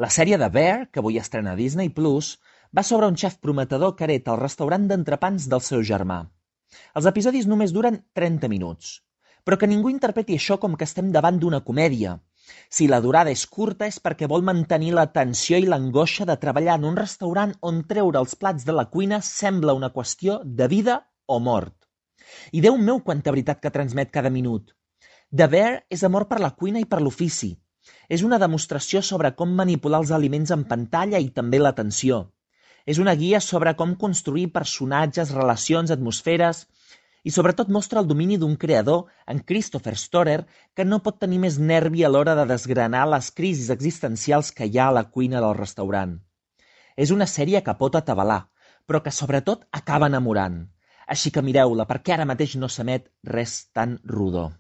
La sèrie de Bear, que avui estrena a Disney Plus, va sobre un xef prometedor que hereta el restaurant d'entrepans del seu germà. Els episodis només duren 30 minuts, però que ningú interpreti això com que estem davant d'una comèdia. Si la durada és curta és perquè vol mantenir la tensió i l'angoixa de treballar en un restaurant on treure els plats de la cuina sembla una qüestió de vida o mort. I Déu meu quanta veritat que transmet cada minut. The Bear és amor per la cuina i per l'ofici. És una demostració sobre com manipular els aliments en pantalla i també l'atenció. És una guia sobre com construir personatges, relacions, atmosferes i sobretot mostra el domini d'un creador, en Christopher Storer, que no pot tenir més nervi a l'hora de desgranar les crisis existencials que hi ha a la cuina del restaurant. És una sèrie que pot atabalar, però que sobretot acaba enamorant. Així que mireu-la, perquè ara mateix no s'emet res tan rodó.